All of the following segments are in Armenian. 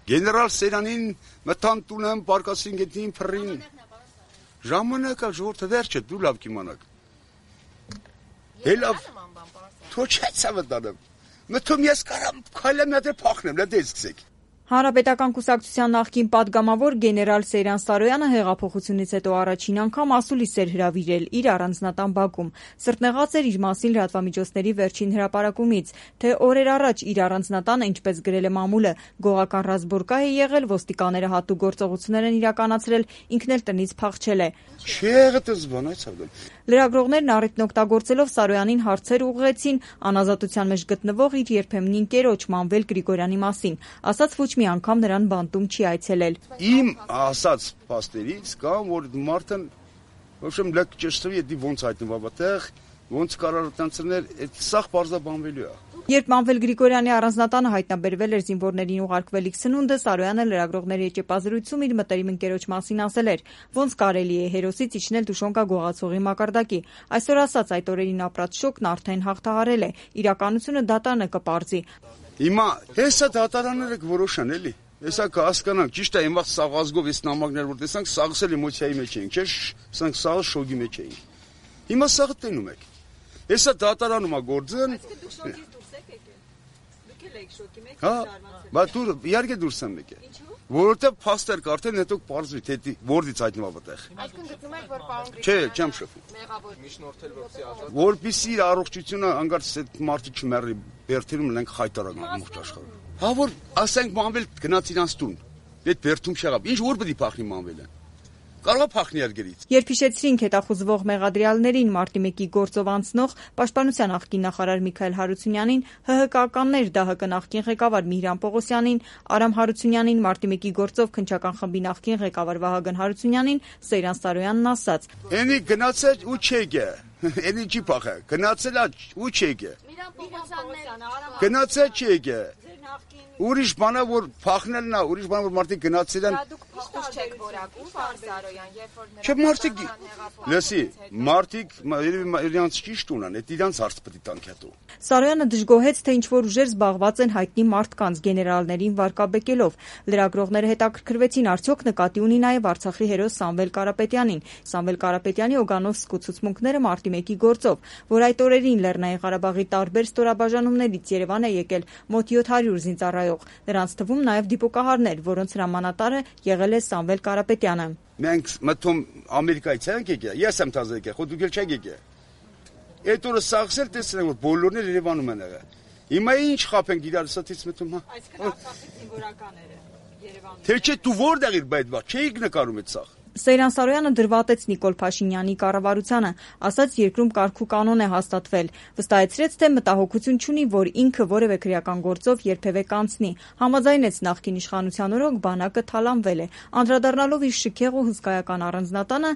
Գեներալ Սերանին մտան տունը, պարկասին գետնին փռին։ Ժամանակը ժողովուրդը վերջը դու լավ կիմանաք։ Հելավ թոչեցա վտանեմ։ Մտում ես կարամ քայլեմ նադե փախնեմ, լա դե սկսեք։ Հանրապետական կուսակցության նախկին պատգամավոր գեներալ Սեյրան Սարոյանը հեղափոխությունից հետո առաջին անգամ ասուլիս էր հրավիրել իր առանձնատան բակում։ Սրտնեղած էր իր մասին լրատվամիջոցների վերջին հրապարակումից, թե օրեր առաջ իր առանձնատանը, ինչպես գրել է մամուլը, գողական ռազմբորկա է եղել, ոստիկանները հատուկ գործողություններ են իրականացրել, ինքն էլ տնից փախչել է։ Լրագրողներն առիթն օգտագործելով Սարոյանին հարցեր ուղղեցին անազատության մեջ գտնվող իր երբեմնի ընկերոջ Մանվել Գրիգորյանի մասին, ասաց ոչ մի անգամ նրան բանտում չի այցելել։ Իմ ասած փաստերից կամ որ մարդն ոչմ լեկ ճշտվի դի ոնց հայտնվա այդտեղ, ոնց կարող տանցներ, այդ սաղ բարձրաբանվելու է։ Երբ Մանվել Գրիգորյանի առանձնատանը հայտնաբերվել էր զինվորներին ուղարկվելիք սնունդը, Սարոյանը լրագրողների եջեպազրույցում իր մտերիմ ընկերոջ մասին ասել էր, ոնց կարելի է հերոսից իջնել Դուշոնկա գողացողի մակարդակի։ Այսօր ասած այդ օրերին ապրած շոկն արդեն հաղթահարել է, իրականությունը դատարանը կպարզի։ Հիմա հեսա դատարանները կորոշան էլի։ Հեսա կհասկանանք, ճիշտ է, այն վաղ սաղ ազգով այս նամակներ որ տեսանք, սաղսել էմոցիայի մեջ էինք, չէ՞, սրանք սաղը շոկի մեջ էինք։ Հիմա սաղը տենում եք։ Հեսա դատարանում է գործն։ Հա, բայց դու իհարկե դուրս եմ եկել։ Որովհետև փաստեր կարդեն, հետո պարզվի, թե որից հայտնվա այդտեղ։ Այսինքն գտնում եք, որ պարոն Չէ, չեմ շփվում։ մեղավոր միջնորդել որպեսզի ազատ։ Որպեսզի իր առողջությունը անգարց այդ մարդը չմեռի, բերթերում լենք խայտարակ ամբողջ աշխարհում։ Հա որ ասենք Մանվել գնաց իրանց տուն։ Այդ բերթում չեղավ։ Ինչ որ պետք է փախնի Մանվելը։ Կարող է փախնի արգերից։ Երբ հիշեցրինք հետախուզվող մեղադրյալներին մարտի 1-ի գործով անցնող Պաշտպանության նախկին նախարար Միքայել Հարությունյանին, ՀՀԿ-ականներ ԴՀԿ նախկին ղեկավար Միհրան Պողոսյանին, Արամ Հարությունյանին, մարտի 1-ի գործով քննչական խմբի նախկին ղեկավար Վահագն Հարությունյանին, Սեյրան Սարոյանն ասաց. Էնի գնացել ու չեկե։ Էնի չի փախա։ Գնացել է ու չեկե։ Միհրան Պողոսյանն, Արամ Գնացել չեկե։ Ուրիշ բանա որ փախնելն է, ուրիշ բան որ մարդիկ գնացել են։ Դուք փախուս չեք որակում, պարոն Սարոյան, երբ որ Չէ մարդիկ, լսի, մարդիկ իրանց ճիշտ ունեն, այդ իրանց հարց պետք է տանք հետո։ Սարոյանը դժգոհեց, թե ինչ որ ուժեր զբաղված են հայտնի մարդկանց գեներալներին վարկաբեկելով։ Լրագրողները հետաքրքրվեցին, արդյոք նկատի ունի նաև Արցախի հերոս Սամվել Կարապետյանին։ Սամվել Կարապետյանի Օգանովսկ ցուցմունքները մարտի 1-ի գործով, որ այդ օրերին Լեռնային Ղարաբաղի տարբեր ստորաբաժանումներից Երևան է եկել մոտ 700 զինծառայող։ Նրանց թվում նաև դիպուկահարներ, որոնց հրամանատարը եղել է Սամվել Կարապետյանը։ Մենք մտում Ամերիկայից ենք եկել, ես եմ թազը եկել, խո դուք էլ չեք եկել։ Այդ օրը սաղսել տեսնենք որ բոլորն էլ Երևանում են եղել։ Հիմա ինչ խափենք իրար սաթից մտում, հա։ Այսինքն Արցախի զինվորականները Երևանում։ Թե չէ դու որտեղ իր բայդ բա, չէիք նկարում այդ սաղ։ Սեյրան Սարոյանը դրվատեց Նիկոլ Փաշինյանի կառավարությանը, ասաց երկրում կարգ ու կանոն է հաստատվել, վստահեցրեց, թե մտահոգություն չունի, որ ինքը որևէ քրեական գործով երբևէ կանցնի, համաձայնեց նախկին իշխանության օրոք բանակը թալանվել է, անդրադառնալով իր շքեղ ու հսկայական առանձնատանը,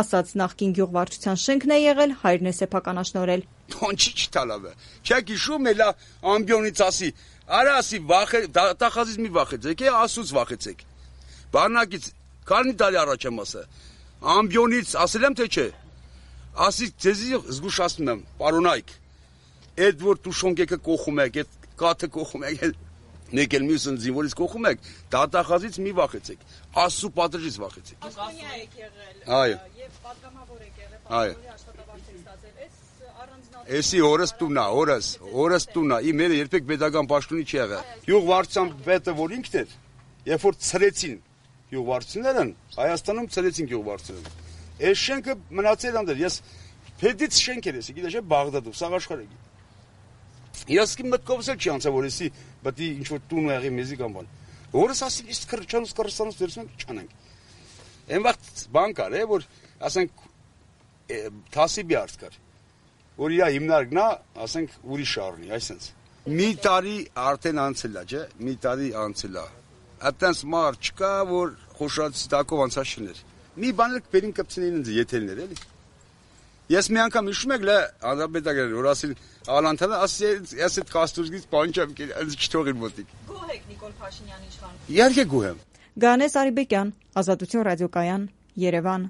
ասաց նախկին գյուղվարչության շենքն է եղել, հայրն է սեփականաշնորհել։ Թոնչի չտալավը, չեք հիշում էլա ամբիոնից ասի, արա ասի վախե, տախազից մի վախեցեք, ասուց վախեցեք, բանակից Քանի տարի առաջ եմ ասել, ամբիոնից ասել եմ թե չէ, ասի ձեզի զգուշացնում եմ, պարոնայք, այդ որ Դուշոնկեկը կողում եք, այդ կաթը կողում եք, մեկ էլ մյուսն զինվորից կողում եք, դատախազից մի վախեցեք, Աստծո պատժից վախեցեք։ Պաշտոնյա եք եղել, այո, եւ պատգամավոր եք եղել, այո, աշխատավարձ եք ստացել, այս առանձնատան։ Էսի օրս տունա, օրս տունա, իմերը երբեք pedagogan պաշտոնի չի եղել։ Յուղվարչության պետը որ ինքն էր, երբ որ ցրեցին Յուղվարչություններն Հայաստանում ցրեցին յուղվարչությունները։ Այս շենքը մնացել անդր, ես փեդից շենք էր էսի, գիտես չէ, Բաղդադով, սաղ աշխարհը։ Ես իմ մտքովս էլ չի անցա որ էսի, պետք է ինչ որ տուն եղի մեզի կամ բան։ Որս ասի իսկ քրչանուց Կրստանուց դերսենք չանենք։ Այն վաղ բան կար, որ ասենք Թասիբի արծ կար, որ իր հիմնարկն է, ասենք ուրիշ առնի, այսինքն։ Մի տարի արդեն անցել է, չէ՞, մի տարի անցել է։ Այդտենց մար չկա, որ խոշորացի տակով անցած չներ։ Մի բան էլ կբերին կպցնեին ինձ եթերներ էլի։ Ես մի անգամ հիշում եք լա անհապետական որ ասել Ալանթանը ասի ես այդ կաստուրգից բան չեմ կել, ինձ չթողին մոտիկ։ Գոհ եք Նիկոլ Փաշինյանի իշխանության։ Իհարկե գոհ եմ։ Գանես Արիբեկյան, Ազատություն ռադիոկայան, Երևան։